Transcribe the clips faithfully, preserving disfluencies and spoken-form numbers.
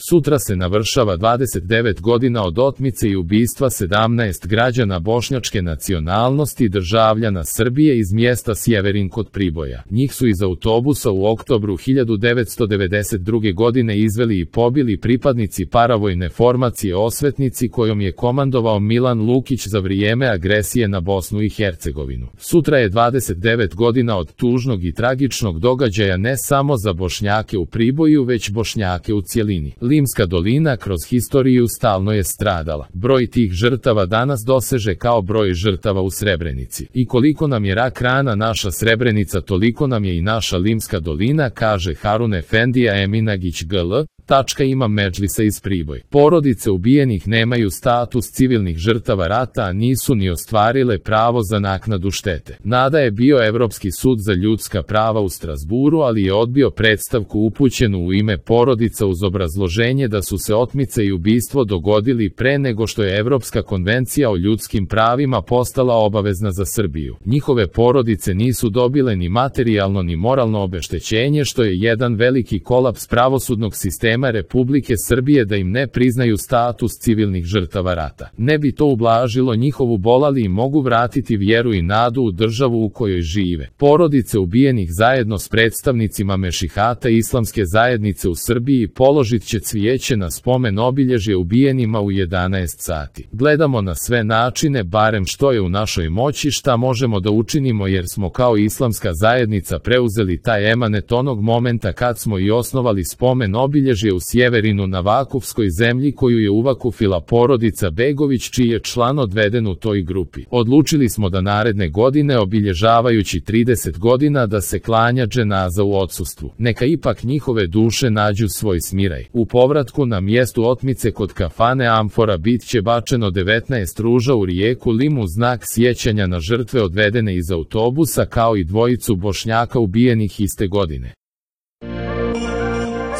Sutra se navršava dvadeset devet godina od otmice i ubistva sedamnaest građana bošnjačke nacionalnosti državljana Srbije iz mjesta Sjeverin kod Priboja. Njih su iz autobusa u oktobru hiljadu devetsto devedeset druge. godine izveli i pobili pripadnici paravojne formacije Osvetnici kojom je komandovao Milan Lukić za vrijeme agresije na Bosnu i Hercegovinu. Sutra je dvadeset devet godina od tužnog i tragičnog događaja ne samo za Bošnjake u Priboju već Bošnjake u cjelini. Limska dolina kroz historiju stalno je stradala. Broj tih žrtava danas doseže kao broj žrtava u Srebrenici. I koliko nam je rak rana naša Srebrenica, toliko nam je i naša Limska dolina, kaže Harun Efendija Eminagić G L. Tačka ima Medžlisa iz Priboj. Porodice ubijenih nemaju status civilnih žrtava rata, a nisu ni ostvarile pravo za naknadu štete. Nada je bio Evropski sud za ljudska prava u Strasburu, ali je odbio predstavku upućenu u ime porodica uz obrazloženje da su se otmice i ubistvo dogodili pre nego što je Evropska konvencija o ljudskim pravima postala obavezna za Srbiju. Njihove porodice nisu dobile ni materijalno ni moralno obeštećenje, što je jedan veliki kolaps pravosudnog sistema Republike Srbije da im ne priznaju status civilnih žrtava rata. Ne bi to ublažilo njihovu bol, ali im mogu vratiti vjeru i nadu u državu u kojoj žive. Porodice ubijenih zajedno s predstavnicima Mešihata islamske zajednice u Srbiji položit će cvijeće na spomen obilježje ubijenima u jedanaest sati. Gledamo na sve načine, barem što je u našoj moći, šta možemo da učinimo, jer smo kao islamska zajednica preuzeli taj emanet onog momenta kad smo i osnovali spomen obilježje u Sjeverinu na Vakufskoj zemlji koju je uvakufila porodica Begović, čiji je član odveden u toj grupi. Odlučili smo da naredne godine, obilježavajući trideset godina, da se klanja dženaza u odsustvu. Neka ipak njihove duše nađu svoj smiraj. U povratku na mjestu otmice kod kafane Amfora bit će bačeno devetnaest ruža u rijeku Lim u znak sjećanja na žrtve odvedene iz autobusa, kao i dvojicu Bošnjaka ubijenih iste godine.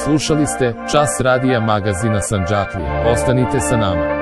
Slušali ste Čas radija magazina Sandžaklija. Ostanite sa nama.